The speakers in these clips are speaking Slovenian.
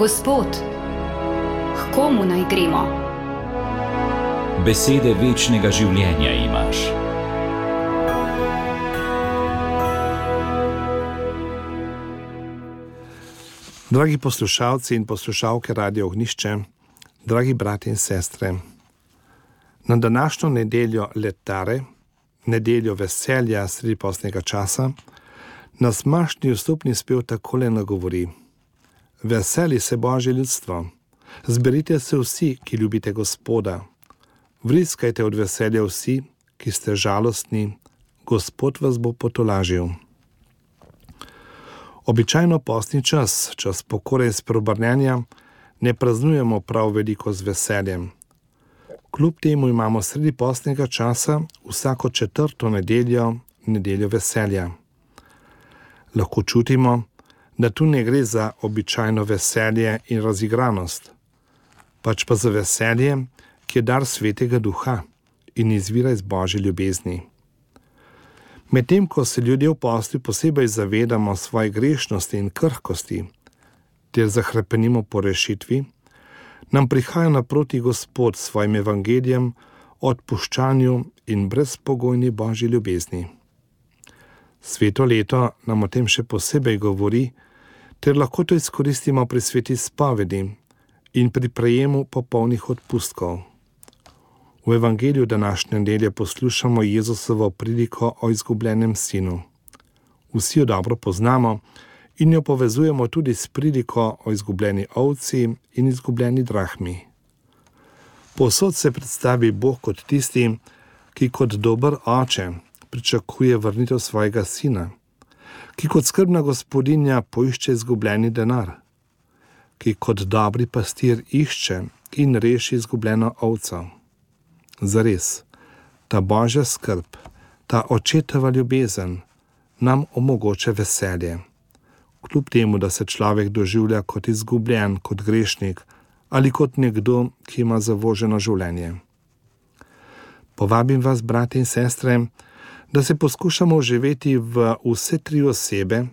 Gospod, k komu naj gremo? Besede večnega življenja imaš. Dragi poslušalci in poslušalke Radio Ognjišče, dragi brati in sestre, na današnjo nedeljo Letare, nedeljo veselja sredi postnega časa, nas mašni vstopni spev takole nagovori: Veseli se Božje ljudstvo, zberite se vsi, ki ljubite Gospoda, vriskajte od veselja vsi, ki ste žalostni, Gospod vas bo potolažil. Običajno postni čas, čas pokore in spreobrnjenja, ne praznujemo prav veliko z veseljem. Kljub temu imamo sredi postnega časa vsako četrto nedeljo, nedeljo veselja. Lahko čutimo, da tu ne gre za običajno veselje in razigranost, pač pa za veselje, ki je dar Svetega Duha in izvira iz Božje ljubezni. Medtem ko se ljudje v postju posebej zavedamo svoje grešnosti in krhkosti, ter zahrepenimo po rešitvi, nam prihaja naproti Gospod s svojim evangelijem o odpuščanju in brezpogojni Božji ljubezni. Sveto leto nam o tem še posebej govori, ter lahko to izkoristimo pri sveti spovedi in pri prejemu popolnih odpustkov. V evangeliju današnje nedelje poslušamo Jezusovo priliko o izgubljenem sinu. Vsi jo dobro poznamo in jo povezujemo tudi s priliko o izgubljeni ovci in izgubljeni drahmi. Povsod se predstavi Bog kot tisti, ki kot dober oče pričakuje vrnitev svojega sina, ki kot skrbna gospodinja poišče izgubljeni denar, ki kot dobri pastir išče in reši izgubljeno ovco. Zares, ta Božja skrb, ta očetova ljubezen nam omogoča veselje. Kljub temu, da se človek doživlja kot izgubljen, kot grešnik ali kot nekdo, ki ima zavoženo življenje. Povabim vas, brati in sestre, da se poskušamo vživeti v vse tri osebe,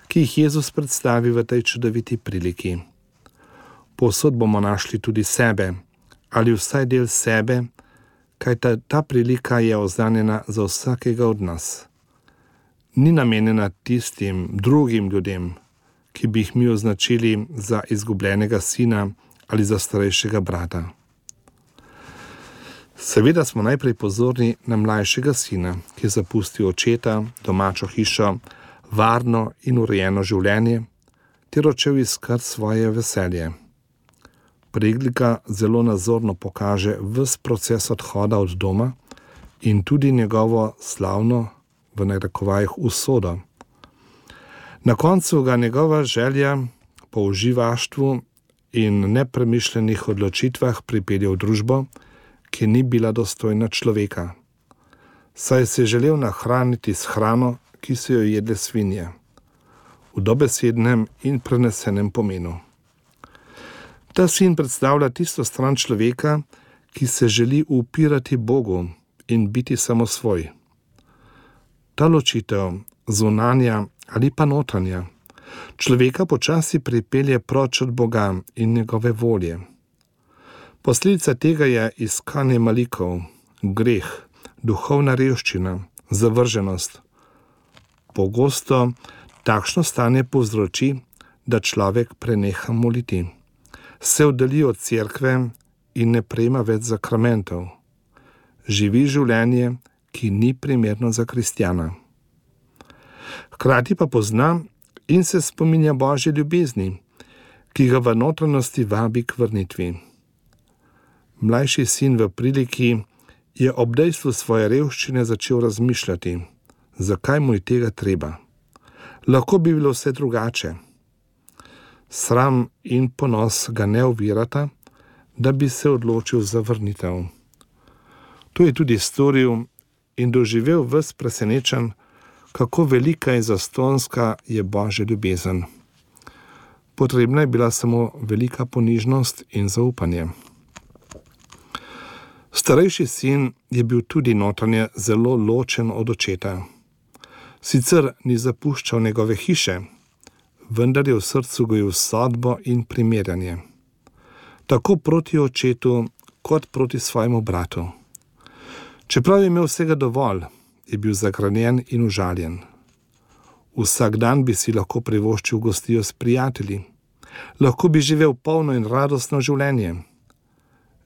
ki jih Jezus predstavi v tej čudoviti priliki. Povsod bomo našli tudi sebe, ali vsaj del sebe, kaj ta prilika je oznanjena za vsakega od nas. Ni namenjena tistim drugim ljudem, ki bi jih mi označili za izgubljenega sina ali za starejšega brata. Seveda smo najprej pozorni na mlajšega sina, ki je zapustil očeta, domačo hišo, varno in urejeno življenje, ter odšel iskat svoje veselje. Prilika zelo nazorno pokaže ves proces odhoda od doma in tudi njegovo slavno, v narekovajih, usodo. Na koncu ga njegova želja po uživaštvu in nepremišljenih odločitvah pripelje v družbo, ki ni bila dostojna človeka, saj se je želel nahraniti s hrano, ki so jo jedle svinje, v dobesednem in prenesenem pomenu. Ta sin predstavlja tisto stran človeka, ki se želi upirati Bogu in biti samosvoj. Ta ločitev, zunanja ali pa notranja, človeka počasi pripelje proč od Boga in njegove volje. Posledica tega je iskanje malikov, greh, duhovna revščina, zavrženost. Pogosto takšno stanje povzroči, da človek preneha moliti, se oddalji od cerkve in ne prejema več zakramentov. Živi življenje, ki ni primerno za kristjana. Hkrati pa pozna in se spominja Božje ljubezni, ki ga v notranjosti vabi k vrnitvi. Mlajši sin v priliki je ob dejstvu svoje revščine začel razmišljati, zakaj mu je tega treba. Lahko bi bilo vse drugače. Sram in ponos ga ne ovirata, da bi se odločil za vrnitev. To je tudi storil in doživel ves presenečen, kako velika in zastonska je Božja ljubezen. Potrebna je bila samo velika ponižnost in zaupanje. Starejši sin je bil tudi notranje zelo ločen od očeta. Sicer ni zapuščal njegove hiše, vendar je v srcu gojil sodbo in primerjanje. Tako proti očetu, kot proti svojemu bratu. Čeprav je imel vsega dovolj, je bil zagranjen in užaljen. Vsak dan bi si lahko privoščil gostijo s prijatelji. Lahko bi živel polno in radostno življenje.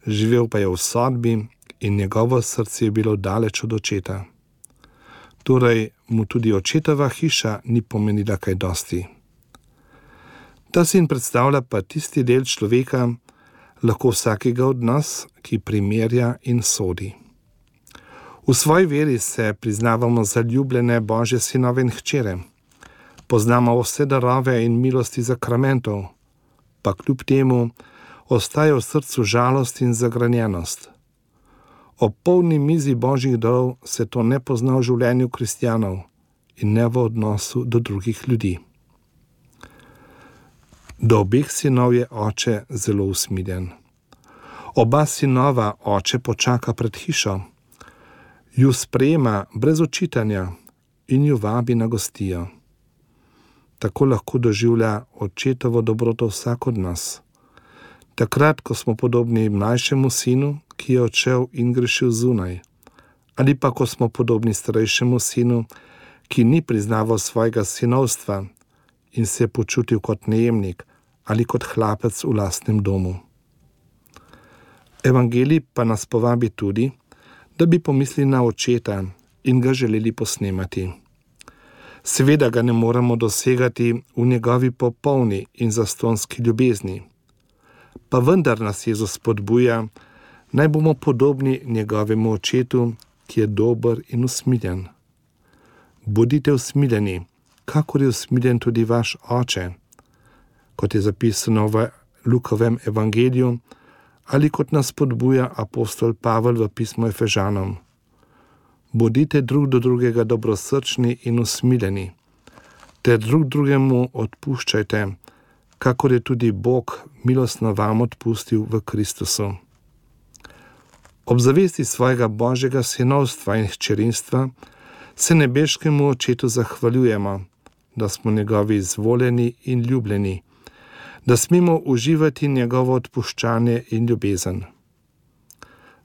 Živel pa je v sodbi in njegovo srce je bilo daleč od očeta. Torej mu tudi očetova hiša ni pomenila kaj dosti. Ta sin predstavlja pa tisti del človeka, lahko vsakega od nas, ki primerja in sodi. V svoji veri se priznavamo za ljubljene Božje sinove in hčere. Poznamo vse darove in milosti sakramentov, pa kljub temu ostaja v srcu žalost in zagranjenost. Ob polni mizi Božjih darov se to ne pozna v življenju kristjanov in ne v odnosu do drugih ljudi. Do obeh sinov je oče zelo usmiljen. Oba sinova oče počaka pred hišo, ju sprejema brez očitanja in ju vabi na gostijo. Tako lahko doživlja očetovo dobroto vsak od nas. Takrat, ko smo podobni mlajšemu sinu, ki je odšel in grešil zunaj, ali pa ko smo podobni starejšemu sinu, ki ni priznaval svojega sinovstva in se je počutil kot najemnik ali kot hlapec v lastnem domu. Evangelij pa nas povabi tudi, da bi pomislili na očeta in ga želeli posnemati. Seveda ga ne moremo dosegati v njegovi popolni in zastonski ljubezni, pa vendar nas Jezus spodbuja, naj bomo podobni njegovemu očetu, ki je dober in usmiljen. Bodite usmiljeni, kakor je usmiljen tudi vaš oče, kot je zapisano v Lukovem evangeliju ali kot nas spodbuja apostol Pavel v pismu Efežanom. Bodite drug do drugega dobrosrčni in usmiljeni, ter drug drugemu odpuščajte, kakor je tudi Bog milostno vam odpustil v Kristusu. Ob zavesti svojega Božjega sinovstva in hčerinstva se nebeškemu očetu zahvaljujemo, da smo njegovi izvoljeni in ljubljeni, da smemo uživati njegovo odpuščanje in ljubezen.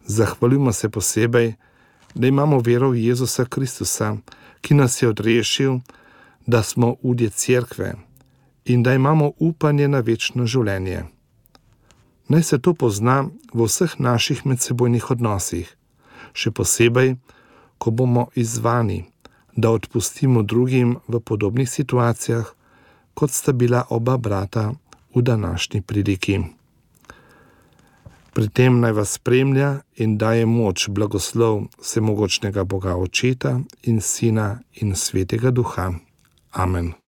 Zahvaljujemo se posebej, da imamo vero v Jezusa Kristusa, ki nas je odrešil, da smo udje cerkve in da imamo upanje na večno življenje. Naj se to pozna v vseh naših medsebojnih odnosih, še posebej, ko bomo izzvani, da odpustimo drugim v podobnih situacijah, kot sta bila oba brata v današnji priliki. Pri tem naj vas spremlja in daje moč blagoslov vsemogočnega Boga Očeta in Sina in Svetega Duha. Amen.